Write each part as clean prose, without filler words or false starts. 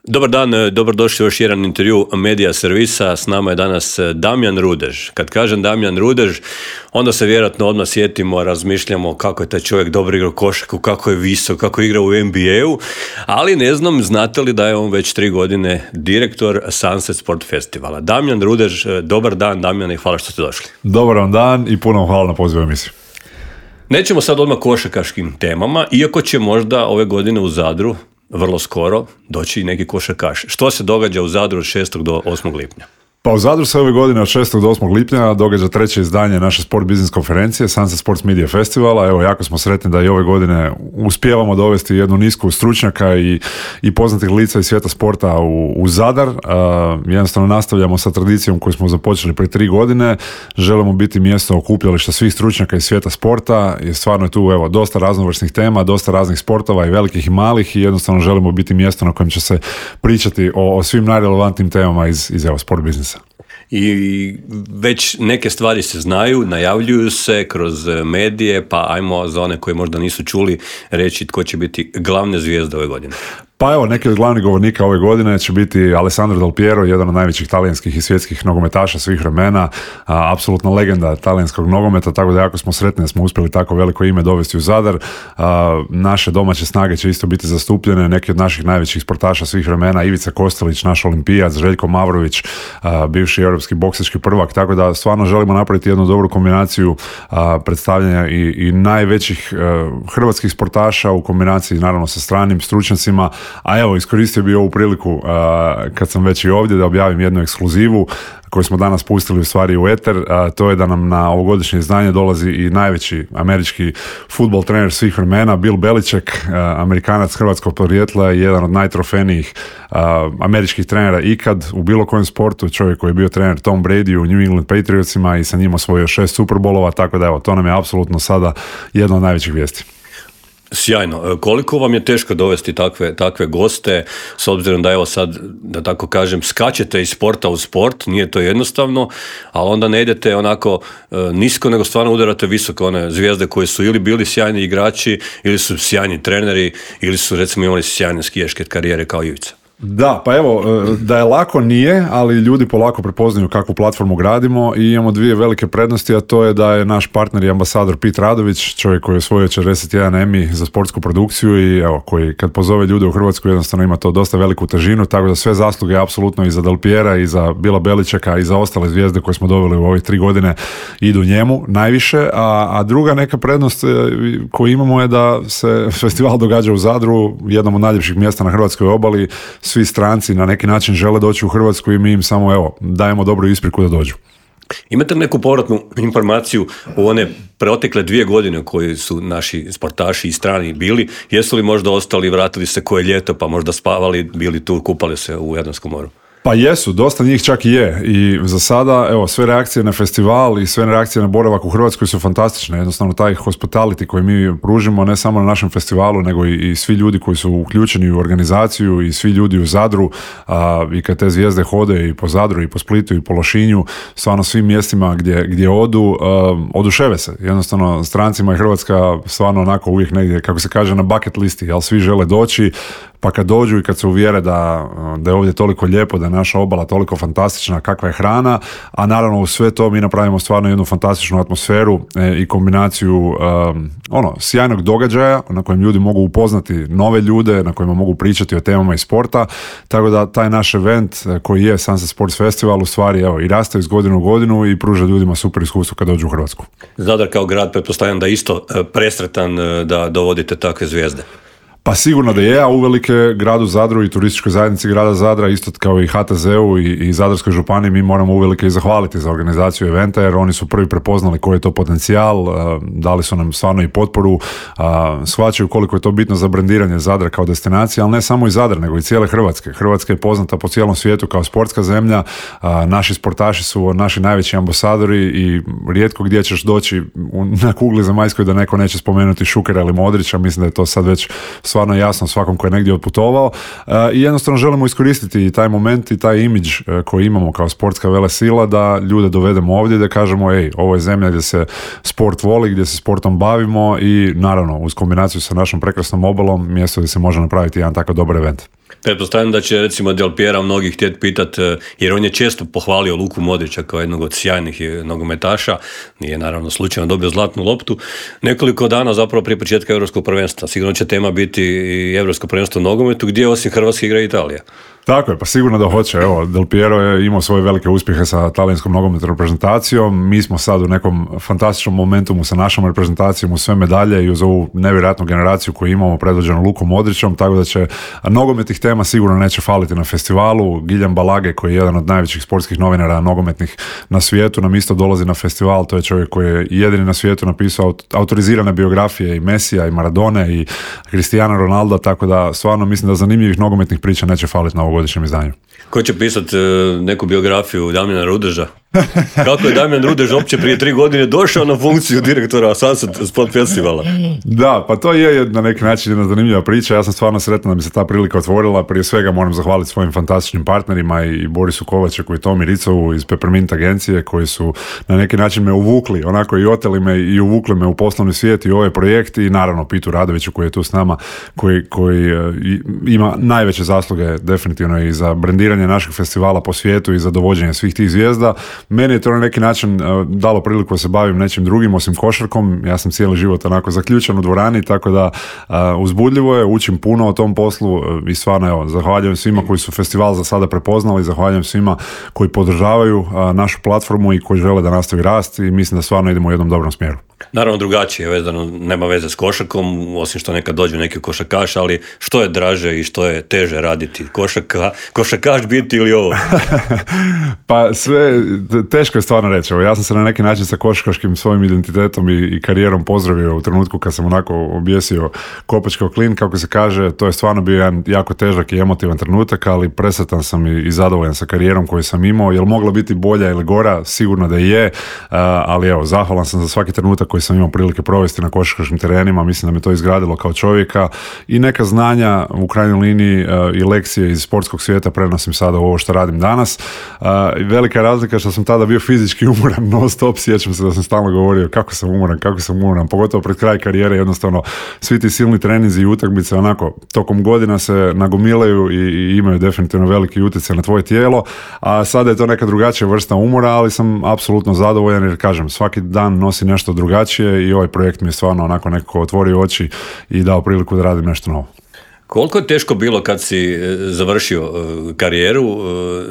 Dobar dan, dobrodošli u još jedan intervju Medija servisa. S nama je danas Damjan Rudež. Kad kažem Damjan Rudež, onda se vjerojatno odmah sjetimo, razmišljamo kako je taj čovjek dobro igrao košarku, kako je visok, kako je igrao u NBA-u, ali ne znam, znate li da je on već 3 godine direktor Sunset Sport Festivala. Damjan Rudež, dobar dan Damjan i hvala što ste došli. Dobar vam dan i puno hvala na pozivu emisiju. Nećemo sad odmah košarkaškim temama, iako će možda ove godine u Zadru vrlo skoro doći i neki košarkaš. Što se događa u Zadru od 6. do 8. lipnja? Pa u Zadru se ove godine od 6. do 8. lipnja događa 3. izdanje naše sport biznis konferencije Sunset Sports Media Festivala. Evo, jako smo sretni da i ove godine uspijevamo dovesti jednu nisku stručnjaka i poznatih lica iz svijeta sporta u Zadar. Jednostavno nastavljamo sa tradicijom koju smo započeli prije 3 godine. Želimo biti mjesto okupljališta svih stručnjaka iz svijeta sporta i stvarno je tu dosta raznovrsnih tema, dosta raznih sportova i velikih i malih i jednostavno želimo biti mjesto na kojem će se pričati o svim najrelevantnim temama iz sport biznisa. I već neke stvari se znaju, najavljuju se kroz medije, pa ajmo za one koji možda nisu čuli reći tko će biti glavne zvijezde ove godine. Pa evo, neki od glavnih govornika ove godine će biti Alessandro Del Piero, jedan od najvećih talijanskih i svjetskih nogometaša svih vremena, apsolutna legenda talijanskog nogometa, tako da jako smo sretni da smo uspjeli tako veliko ime dovesti u Zadar. Naše domaće snage će isto biti zastupljene, neki od naših najvećih sportaša svih vremena, Ivica Kostelić, naš olimpijac, Željko Mavrović, bivši europski boksački prvak, tako da stvarno želimo napraviti jednu dobru kombinaciju predstavljanja i najvećih hrvatskih sportaša u kombinaciji naravno sa stranim stručnjacima. A evo, iskoristio bih ovu priliku kad sam već i ovdje da objavim jednu ekskluzivu koju smo danas pustili u stvari u eter, to je da nam na ovogodišnje izdanje dolazi i najveći američki fudbal trener svih vremena, Bill Belichick, Amerikanac hrvatskog podrijetla i jedan od najtrofejnijih američkih trenera ikad u bilo kojem sportu, čovjek koji je bio trener Tom Brady u New England Patriotsima i sa njim osvojio 6 Super Bowlova, tako da evo, to nam je apsolutno sada jedna od najvećih vijesti. Sjajno. Koliko vam je teško dovesti takve goste, s obzirom da evo sad, da tako kažem, skačete iz sporta u sport, nije to jednostavno, ali onda ne idete onako nisko, nego stvarno udarate visoko one zvijezde koje su ili bili sjajni igrači, ili su sjajni treneri, ili su recimo imali sjajne skijaške karijere kao Ivica. Da, pa evo, da je lako nije, ali ljudi polako prepoznaju kakvu platformu gradimo i imamo 2 velike prednosti, a to je da je naš partner i ambasador Pete Radović, čovjek koji je osvojio 41 Emmy za sportsku produkciju i evo, koji kad pozove ljude u Hrvatsku jednostavno ima to dosta veliku težinu, tako da sve zasluge apsolutno i za Del Piera i za Billa Belichicka i za ostale zvijezde koje smo doveli u ovih 3 godine idu njemu najviše, a druga neka prednost koju imamo je da se festival događa u Zadru, jednom od najljepših mjesta na hrvatskoj obali. Svi stranci na neki način žele doći u Hrvatsku i mi im samo dajemo dobru ispriku da dođu. Imate neku povratnu informaciju u one preotekle 2 godine koji su naši sportaši i strani bili? Jesu li možda ostali, vratili se koje ljeto pa možda spavali, bili tu, kupali se u Jadranskom moru? Pa jesu, dosta njih čak i je i za sada, evo, sve reakcije na festival i sve reakcije na boravak u Hrvatskoj su fantastične, jednostavno taj hospitality koji mi pružimo ne samo na našem festivalu, nego i svi ljudi koji su uključeni u organizaciju i svi ljudi u Zadru i kad te zvijezde hode i po Zadru i po Splitu i po Lošinju, stvarno svim mjestima gdje odu, oduševe se, jednostavno strancima je Hrvatska stvarno onako uvijek negdje, kako se kaže, na bucket listi, ali svi žele doći, pa kad dođu i kad se uvjere da je ovdje toliko lijepo, da je naša obala toliko fantastična, kakva je hrana, a naravno u sve to mi napravimo stvarno jednu fantastičnu atmosferu i kombinaciju sjajnog događaja na kojem ljudi mogu upoznati nove ljude, na kojima mogu pričati o temama iz sporta, tako da taj naš event koji je Sunset Sports Festival u stvari i raste iz godine u godinu i pruža ljudima super iskustvo kad dođu u Hrvatsku. Zadar kao grad, pretpostavljam da isto presretan da dovodite takve zvijezde. Pa sigurno da je, a uvelike gradu Zadru i turističkoj zajednici grada Zadra, isto kao i HTZ-u i Zadarskoj županiji, mi moramo uvelike i zahvaliti za organizaciju eventa, jer oni su prvi prepoznali koji je to potencijal, dali su nam stvarno i potporu, shvaćaju koliko je to bitno za brendiranje Zadra kao destinacije, ali ne samo i Zadra, nego i cijele Hrvatske. Hrvatska je poznata po cijelom svijetu kao sportska zemlja, naši sportaši su naši najveći ambasadori i rijetko gdje ćeš doći na kugli zemaljskoj da neko neće spomenuti Šukera ili Modrića, mislim da je to sad već stvarno jasno svakom koji je negdje otputovao i jednostavno želimo iskoristiti i taj moment i taj imidž koji imamo kao sportska velesila da ljude dovedemo ovdje, da kažemo ovo je zemlja gdje se sport voli, gdje se sportom bavimo i naravno uz kombinaciju sa našom prekrasnom obalom mjesto gdje se može napraviti jedan takav dobar event. Pretpostavljam da će recimo Del Piera mnogih htjeti pitati, jer on je često pohvalio Luku Modrića kao jednog od sjajnih nogometaša, nije naravno slučajno dobio zlatnu loptu, nekoliko dana zapravo prije početka Europskog prvenstva. Sigurno će tema biti i Europsko prvenstvo u nogometu, gdje osim Hrvatske igra Italija. Tako je, pa sigurno da hoće. Evo, Del Piero je imao svoje velike uspjehe sa talijanskom nogometnom reprezentacijom. Mi smo sad u nekom fantastičnom momentumu sa našom reprezentacijom u sve medalje i uz ovu nevjerojatnu generaciju koju imamo predvođenu Lukom Modrićom, tako da će nogometnih tema sigurno neće faliti na festivalu. Guillem Balage, koji je jedan od najvećih sportskih novinara nogometnih na svijetu, nam isto dolazi na festival. To je čovjek koji je jedini na svijetu napisao autorizirane biografije i Mesija i Maradone i Cristiano Ronaldo, tako da stvarno mislim da zanimljivih nogometnih priča neće faliti na ovogodišnjem izdanju. Ko će pisati neku biografiju Damjana Rudeža? Kako je Damjan Rudež uopće prije 3 godine došao na funkciju direktora Sunset Sport Festivala? Da, pa to je na neki način jedna zanimljiva priča. Ja sam stvarno sretan da mi se ta prilika otvorila. Prije svega moram zahvaliti svojim fantastičnim partnerima i Borisu Kovačeku i Tomi Ricovu iz Peppermint agencije, koji su na neki način me uvukli, onako i oteli me i uvukli me u poslovni svijet i ovaj projekt, i naravno Pitu Radoviću koji je tu s nama, koji ima najveće zasluge definitivno i za brendiranje našeg festivala po svijetu i za dovođenje svih tih zvijezda. Meni je to na neki način dalo priliku da se bavim nečim drugim osim košarkom. Ja sam cijeli život onako zaključan u dvorani, tako da uzbudljivo je, učim puno o tom poslu i stvarno evo, zahvaljujem svima koji su festival za sada prepoznali, zahvaljujem svima koji podržavaju našu platformu i koji žele da nastavi rast, i mislim da stvarno idemo u jednom dobrom smjeru. Naravno drugačije, vezano, nema veze s košarkom, osim što nekad dođe neki košarkaš, ali što je draže i što je teže raditi? Košarkaš biti ili ovo? Pa sve, teško je stvarno reći. Ja sam se na neki način sa košarkaškim svojim identitetom i karijerom pozdravio u trenutku kad sam onako objesio kopač kao klin, kako se kaže. To je stvarno bio jedan jako težak i emotivan trenutak, ali presretan sam i zadovoljan sa karijerom koju sam imao. Jel mogla biti bolja ili gora? Sigurno da je, ali evo, zahvalan sam za svaki trenutak koji sam imao prilike provesti na košarkaškim terenima. Mislim da me to izgradilo kao čovjeka i neka znanja u krajnjoj liniji i lekcije iz sportskog svijeta prenosim sada u ovo što radim danas. Velika je razlika što sam tada bio fizički umoran non stop, sjećam se da sam stalno govorio kako sam umoran, pogotovo pred kraj karijere. Jednostavno svi ti silni treninzi i utakmice onako tokom godina se nagomilaju i imaju definitivno veliki utjecaj na tvoje tijelo, a sada je to neka drugačija vrsta umora, ali sam apsolutno zadovoljan jer kažem, svaki dan nosi nešto drugačije i ovaj projekt mi je stvarno onako nekako otvorio oči i dao priliku da radim nešto novo. Koliko je teško bilo kad si završio karijeru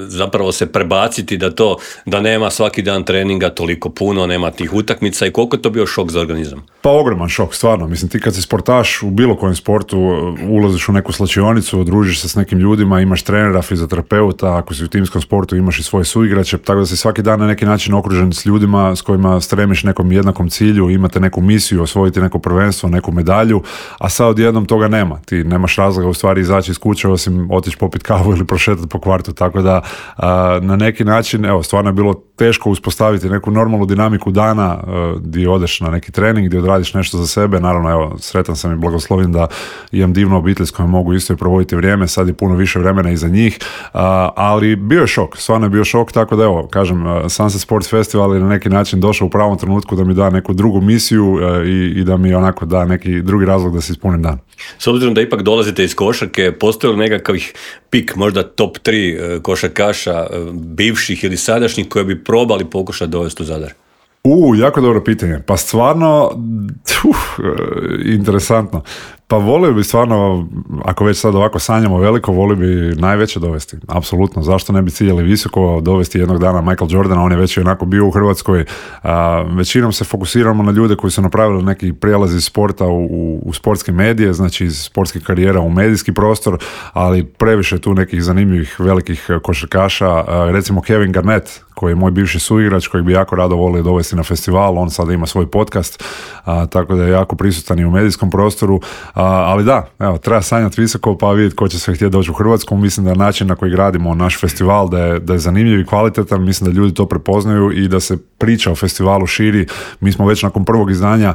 zapravo se prebaciti da nema svaki dan treninga toliko puno, nema tih utakmica, i koliko je to bio šok za organizam? Pa ogroman šok, stvarno. Mislim, ti kad si sportaš u bilo kojem sportu, ulaziš u neku slačionicu, družiš se s nekim ljudima, imaš trenera, fizioterapeuta, ako si u timskom sportu imaš i svoje suigrače, tako da si svaki dan na neki način okružen s ljudima s kojima stremiš nekom jednakom cilju, imate neku misiju, osvojiti neko prvenstvo, neku medalju, a sad odjednom toga nema. Ti nemaš razloga u stvari izaći iz kuće osim otići popiti kavu ili prošetati po kvartu, tako da na neki način, evo, stvarno je bilo teško uspostaviti neku normalnu dinamiku dana gdje odeš na neki trening, gdje odradiš nešto za sebe. Naravno, evo, sretan sam i blagoslovljen da imam divnu obitelj s kojom mogu isto i provoditi vrijeme, sad je puno više vremena iza njih, ali bio je šok, stvarno je bio šok, tako da evo, kažem, Sunset Sports Festival je na neki način došao u pravom trenutku da mi da neku drugu misiju i da mi onako da neki drugi razlog da se ispunim dan. S obzirom da ipak dolazite iz košarke, postoji li nekakvih pik, možda top 3 košarkaša, bivših ili sadašnjih, koje bi probali pokušati dovesti u Zadar? Jako dobro pitanje. Pa stvarno, interesantno. Pa volio bi stvarno, ako već sad ovako sanjamo veliko, volio bi najveće dovesti. Apsolutno. Zašto ne bi ciljali visoko, dovesti jednog dana Michael Jordana, on je već onako bio u Hrvatskoj. Većinom se fokusiramo na ljude koji su napravili neki prijelaz iz sporta u sportske medije, znači iz sportskih karijera u medijski prostor, ali previše tu nekih zanimljivih velikih košarkaša. Recimo Kevin Garnett, koji je moj bivši suigrač, kojeg bi jako rado volio dovesti na festival, on sada ima svoj podcast, tako da je jako prisutan i u medijskom prostoru, ali da, evo, treba sanjati visoko pa vidjeti ko će sve htjeti doći u Hrvatsku. Mislim da način na koji gradimo naš festival da je zanimljiv i kvalitetan, mislim da ljudi to prepoznaju i da se priča o festivalu širi. Mi smo već nakon prvog izdanja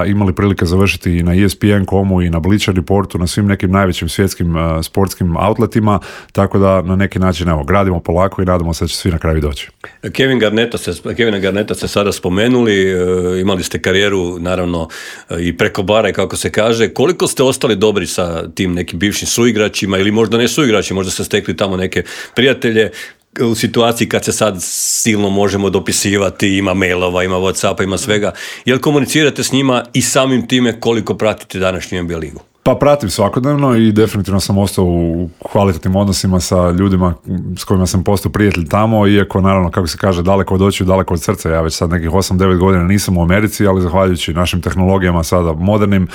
imali prilike završiti i na ESPN.com-u i na Bleacher Reportu, na svim nekim najvećim svjetskim sportskim outletima, tako da na neki način, evo, gradimo polako i nadamo se da će svi na kraju doći. Kevina Garnetta ste sada spomenuli, imali ste karijeru naravno i preko bara, kako se kaže. Koliko ste ostali dobri sa tim nekim bivšim suigračima ili možda ne suigrači, možda ste stekli tamo neke prijatelje u situaciji kad se sad silno možemo dopisivati, ima mailova, ima Whatsappa, ima svega. Jel komunicirate s njima i samim time koliko pratite današnju NBA ligu? Pa pratim svakodnevno i definitivno sam ostao u kvalitetnim odnosima sa ljudima s kojima sam postao prijatelj tamo, iako naravno, kako se kaže, daleko od očiju, daleko od srca. Ja već sad nekih 8-9 godina nisam u Americi, ali zahvaljujući našim tehnologijama sada modernim,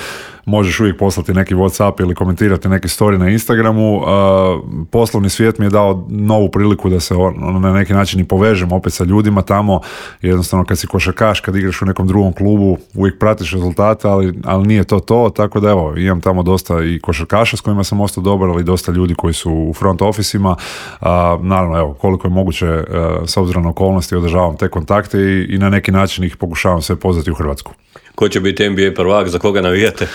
možeš uvijek poslati neki Whatsapp ili komentirati neki story na Instagramu. Poslovni svijet mi je dao novu priliku da se na neki način i povežem opet sa ljudima tamo. Jednostavno kad si košarkaš, kad igraš u nekom drugom klubu, uvijek pratiš rezultate, ali nije to, tako da evo, imam tamo dosta i košarkaša s kojima sam ostao dobar, ali dosta ljudi koji su u front ofisima. Naravno, evo, koliko je moguće, s obzirom na okolnosti, održavam te kontakte i na neki način ih pokušavam sve pozvati u Hrvatsku. Ko će biti NBA prvak, za koga navijate?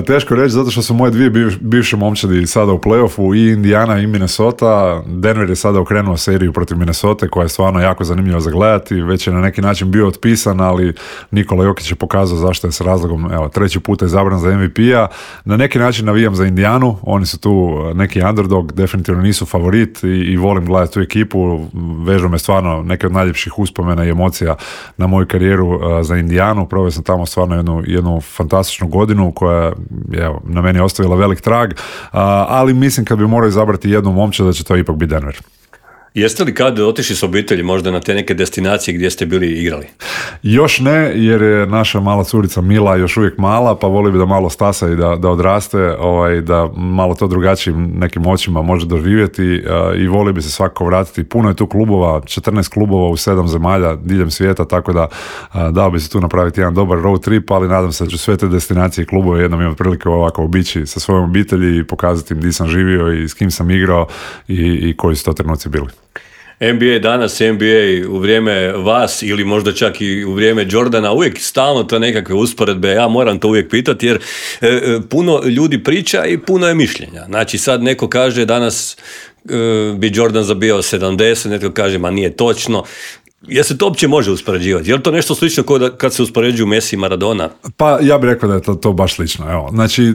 Teško reći, zato što su moje dvije bivše momčadi sada u play-offu, i Indiana i Minnesota. Denver je sada okrenuo seriju protiv Minnesota, koja je stvarno jako zanimljiva za gledati. Već je na neki način bio otpisan, ali Nikola Jokić je pokazao zašto je s razlogom, evo, 3. puta izabran za MVP-a. Na neki način navijam za Indijanu, oni su tu neki underdog, definitivno nisu favorit i volim gledati tu ekipu. Vežu me stvarno neke od najljepših uspomena i emocija na moju karijeru za Indijanu. Proveo sam tamo stvarno jednu fantastičnu godinu koja je na meni ostavila velik trag, ali mislim kad bi morao izabrati jednu momčad da će to ipak biti Denver. Jeste li kad otišli s obitelji možda na te neke destinacije gdje ste bili igrali? Još ne, jer je naša mala curica Mila još uvijek mala, pa voli bi da malo stasa i da odraste, da malo to drugačijim nekim očima može doživjeti, i voli bi se svakako vratiti. Puno je tu klubova, 14 klubova u 7 zemalja diljem svijeta, tako da dao bi se tu napraviti jedan dobar road trip, ali nadam se da ću sve te destinacije i klubove jednom imati prilike ovako obići sa svojom obitelji i pokazati im gdje sam živio i s kim sam igrao i koji su to trenuci bili. NBA danas, NBA u vrijeme vas ili možda čak i u vrijeme Jordana, uvijek stalno to nekakve usporedbe, ja moram to uvijek pitati jer puno ljudi priča i puno je mišljenja. Znači sad neko kaže danas bi Jordan zabijao 70, netko kaže ma nije točno. Jel se to uopće može uspoređivati? Je li to nešto slično kao kad se uspoređuju Messi i Maradona? Pa ja bih rekao da je to baš slično. Evo. Znači,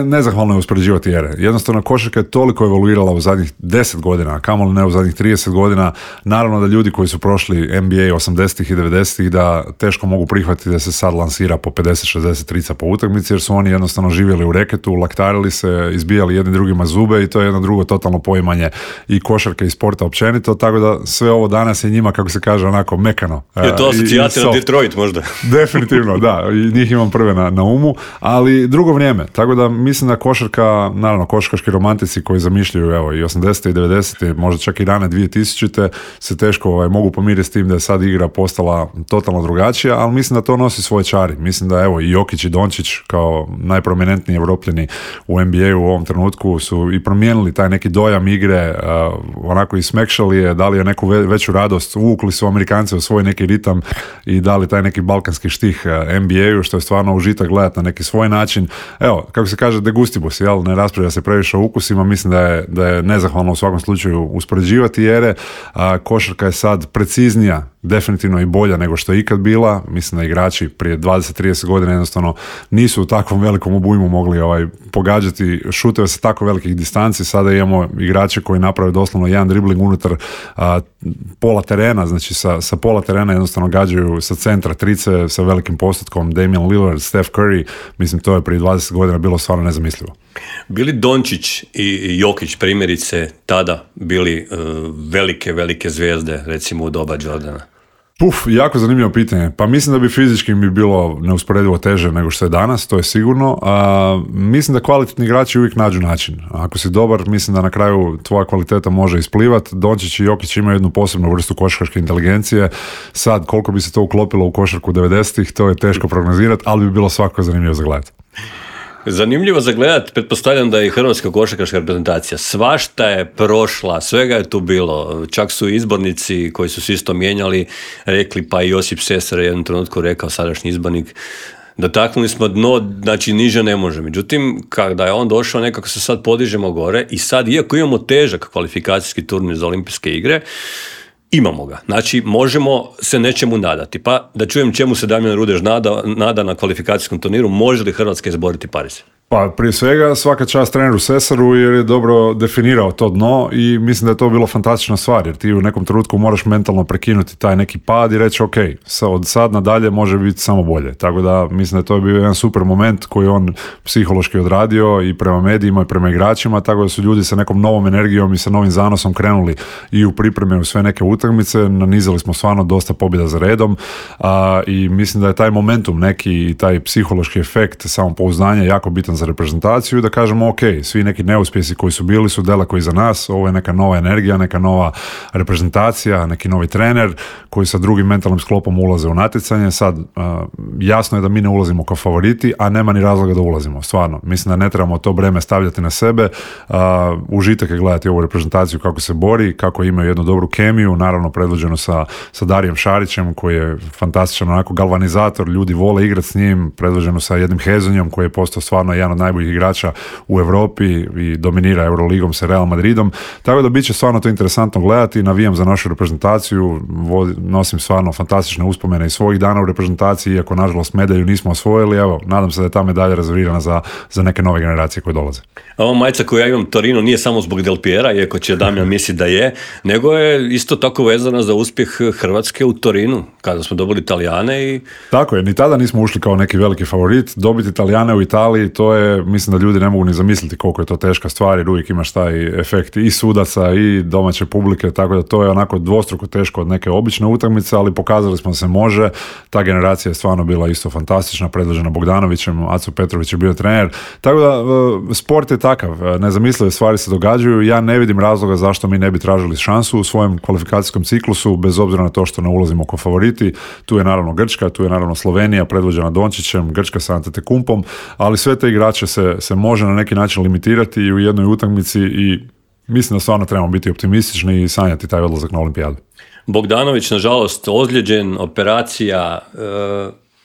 nezahvalno je uspoređivati ere. Jednostavno, košarka je toliko evoluirala u zadnjih 10 godina, a kamoli ne u zadnjih 30 godina. Naravno da ljudi koji su prošli NBA 80-ih i 90-ih da teško mogu prihvatiti da se sad lansira po 50-60 trica po utakmici, jer su oni jednostavno živjeli u reketu, laktarili se, izbijali jedni drugima zube i to je jedno drugo totalno poimanje i košarke i sporta općenito, tako da sve ovo danas je njima, kako se kaže, onako mekano. Je to asocijacija na Detroit možda? Definitivno, da. I njih imam prve na umu, ali drugo vrijeme. Tako da mislim da košarka, naravno košarkaški romantici koji zamišljaju evo, i 80. i 90. možda čak i rane 2000. se teško mogu pomiriti s tim da je sad igra postala totalno drugačija, ali mislim da to nosi svoje čari. Mislim da evo i Jokić i Dončić kao najprominentniji Evropljani u NBA-u u ovom trenutku su i promijenili taj neki dojam igre, onako i smekšali je, dali je neku veću radost, uvukli su Amerikanci u svoj neki ritam i dali taj neki balkanski štih NBA-u, što je stvarno užitak gledati na neki svoj način. Evo, kako se kaže, de gustibus, jel? Ne raspravlja se previše o ukusima, mislim da je nezahvalno u svakom slučaju uspoređivati ere. Košarka je sad preciznija, definitivno i bolja nego što je ikad bila. Mislim da igrači prije 20-30 godina jednostavno nisu u takvom velikom obujmu mogli pogađati šuteve sa tako velikih distanci. Sada imamo igrače koji naprave doslovno jedan dribling unutar pola terena, znači sa pola terena jednostavno gađaju sa centra trice sa velikim postotkom. Damian Lillard, Steph Curry, mislim to je prije 20 godina bilo stvarno nezamislivo. Bili Dončić i Jokić primjerice tada bili velike zvijezde recimo u doba Jordana? Jako zanimljivo pitanje. Pa mislim da bi fizički mi bilo neusporedivo teže nego što je danas, to je sigurno. Mislim da kvalitetni igrači uvijek nađu način. Ako si dobar, mislim da na kraju tvoja kvaliteta može isplivati. Dončić i Jokić imaju jednu posebnu vrstu košarkaške inteligencije. Sad, koliko bi se to uklopilo u košarku 90-ih, to je teško prognozirati, ali bi bilo svakako zanimljivo za gledati. Zanimljivo za gledat, pretpostavljam da je i hrvatska košarkaška reprezentacija svašta je prošla, svega je tu bilo, čak su izbornici koji su se isto mijenjali rekli, pa i Josip Sesar je jednom trenutku rekao, sadašnji izbornik, dotaknuli smo dno, znači niže ne može. Međutim, kada je on došao, nekako se sad podižemo gore i sad, iako imamo težak kvalifikacijski turnir za olimpijske igre, imamo ga. Znači, možemo se nečemu nadati. Pa da čujem čemu se Damjan Rudež nada na kvalifikacijskom turniru, može li Hrvatska izboriti Pariz? Pa prije svega svaka čast treneru Sesaru jer je dobro definirao to dno i mislim da je to bilo fantastična stvar jer ti u nekom trenutku moraš mentalno prekinuti taj neki pad i reći ok, od sad nadalje može biti samo bolje. Tako da mislim da je to bio jedan super moment koji on psihološki odradio i prema medijima i prema igračima, tako da su ljudi sa nekom novom energijom i sa novim zanosom krenuli i u pripreme u sve neke utakmice, nanizali smo stvarno dosta pobjeda za redom i mislim da je taj momentum neki i taj psihološki efekt samopouzdanja jako bitan za reprezentaciju, da kažemo ok, svi neki neuspjesi koji su bili su daleko iza nas, ovo je neka nova energija, neka nova reprezentacija, neki novi trener koji sa drugim mentalnim sklopom ulaze u natjecanje. Sad, jasno je da mi ne ulazimo kao favoriti, a nema ni razloga da ulazimo, stvarno. Mislim da ne trebamo to breme stavljati na sebe. Užitak je gledati ovu reprezentaciju kako se bori, kako imaju jednu dobru kemiju, naravno predvođeno sa Darijem Šarićem koji je fantastičan onako galvanizator, ljudi vole igrati s njim, predvođeno sa jednim Hezonjom koji je postao stvarno jedan od najboljih igrača u Europi i dominira Euroligom sa Real Madridom, tako da bit će stvarno to interesantno gledati, navijam za našu reprezentaciju, nosim stvarno fantastične uspomene iz svojih dana u reprezentaciji, iako nažalost medalju nismo osvojili, evo, nadam se da je ta medalja rezervirana za neke nove generacije koje dolaze. Ova majica koju ja imam Torino nije samo zbog Del Piera, iako će Damjan misli da je, nego je isto tako vezana za uspjeh Hrvatske u Torinu, kada smo dobili Italijane i... Tako je, ni tada nismo ušli kao neki veliki favorit, dobiti Italijane u Italiji, to je, mislim da ljudi ne mogu ni zamisliti koliko je to teška stvar, jer uvijek imaš taj efekt i sudaca i domaće publike, tako da to je onako dvostruko teško od neke obične utakmice, ali pokazali smo da se može. Ta generacija je stvarno bila isto fantastična, predvođena Bogdanovićem, Aco Petrović je bio trener, tako da sport je takav, nezamislive stvari se događaju, ja ne vidim razloga zašto mi ne bi tražili šansu u svojem kvalifikacijskom ciklusu, bez obzira na to što ne ulazimo kao favoriti. Tu je naravno Grčka, tu je naravno Slovenija, predvođena Dončićem, Grčka sa Antetokounmpom, ali sve te igrače se može na neki način limitirati i u jednoj utakmici i mislim da stvarno trebamo biti optimistični i sanjati taj odlazak na olimpijadu. Bogdanović, nažalost, ozlijeđen, operacija,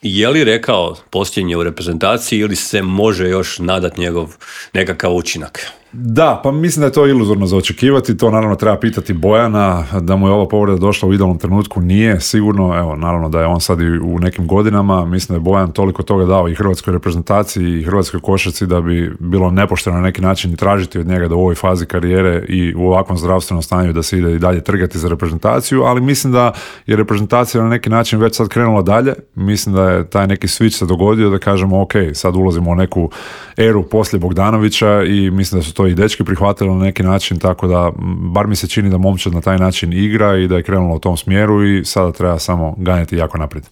je li rekao posljednje u reprezentaciji ili se može još nadati njegov nekakav učinak? Da, pa mislim da je to iluzorno za očekivati, to naravno treba pitati Bojana, da mu je ova povreda došla u idealnom trenutku, nije sigurno, evo, naravno da je on sad i u nekim godinama, mislim da je Bojan toliko toga dao i hrvatskoj reprezentaciji i hrvatskoj košarci da bi bilo nepošteno na neki način i tražiti od njega da u ovoj fazi karijere i u ovakvom zdravstvenom stanju da se ide i dalje trgati za reprezentaciju, ali mislim da je reprezentacija na neki način već sad krenula dalje, mislim da je taj neki switch se dogodio, da kažemo ok, sad ulazimo u neku eru poslije Bogdanovića i mislim da su to i dečki prihvatili na neki način, tako da bar mi se čini da momčad na taj način igra i da je krenulo u tom smjeru i sada treba samo ganjati jako naprijed.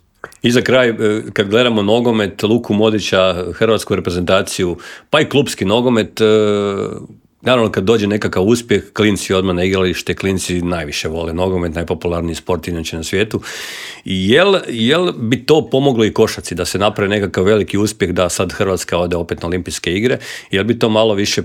I za kraj, kad gledamo nogomet, Luku Modića, hrvatsku reprezentaciju, pa i klupski nogomet, naravno kad dođe nekakav uspjeh, klinci odmah na igralište, klinci najviše vole nogomet, najpopularniji sport inače na svijetu. Jel bi to pomoglo i košarci da se napravi nekakav veliki uspjeh da sad Hrvatska ode opet na olimpijske igre? Jel bi to malo više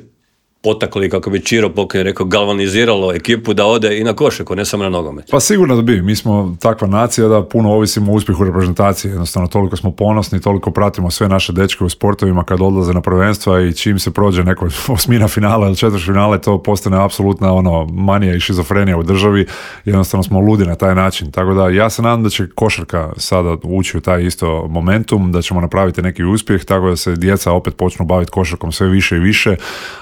potakli, kako bi Čiro Pokoj rekao, galvaniziralo ekipu da ode i na košarku, ne samo na nogomet? Pa sigurno da bi. Mi smo takva nacija da puno ovisimo o uspjehu reprezentacije. Jednostavno, toliko smo ponosni, toliko pratimo sve naše dečke u sportovima kad odlaze na prvenstva i čim se prođe neko osmina finala ili četvrtfinale, to postane apsolutna manija i šizofrenija u državi. Jednostavno smo ludi na taj način. Tako da ja se nadam da će košarka sada ući u taj isto momentum, da ćemo napraviti neki uspjeh, tako da se djeca opet počnu baviti košarkom sve više i više.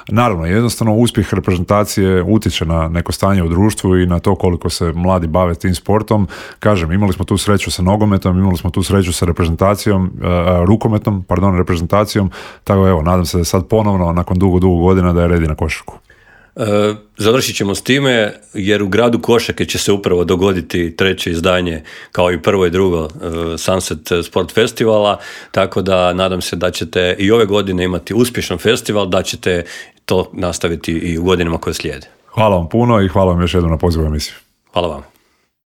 Naravno, jednostavno uspjeh reprezentacije utječe na neko stanje u društvu i na to koliko se mladi bave tim sportom. Kažem, imali smo tu sreću sa nogometom, imali smo tu sreću sa reprezentacijom, reprezentacijom, tako evo, nadam se da sad ponovno, nakon dugo godina, da je redi na košarku. Završit ćemo s time, jer u gradu Košake će se upravo dogoditi treće izdanje, kao i prvo i drugo Sunset Sport Festivala, tako da nadam se da ćete i ove godine imati uspješan festival, da ćete to nastaviti i u godinama koje slijede. Hvala vam puno i hvala vam još jednom na pozivu emisiju. Hvala vam.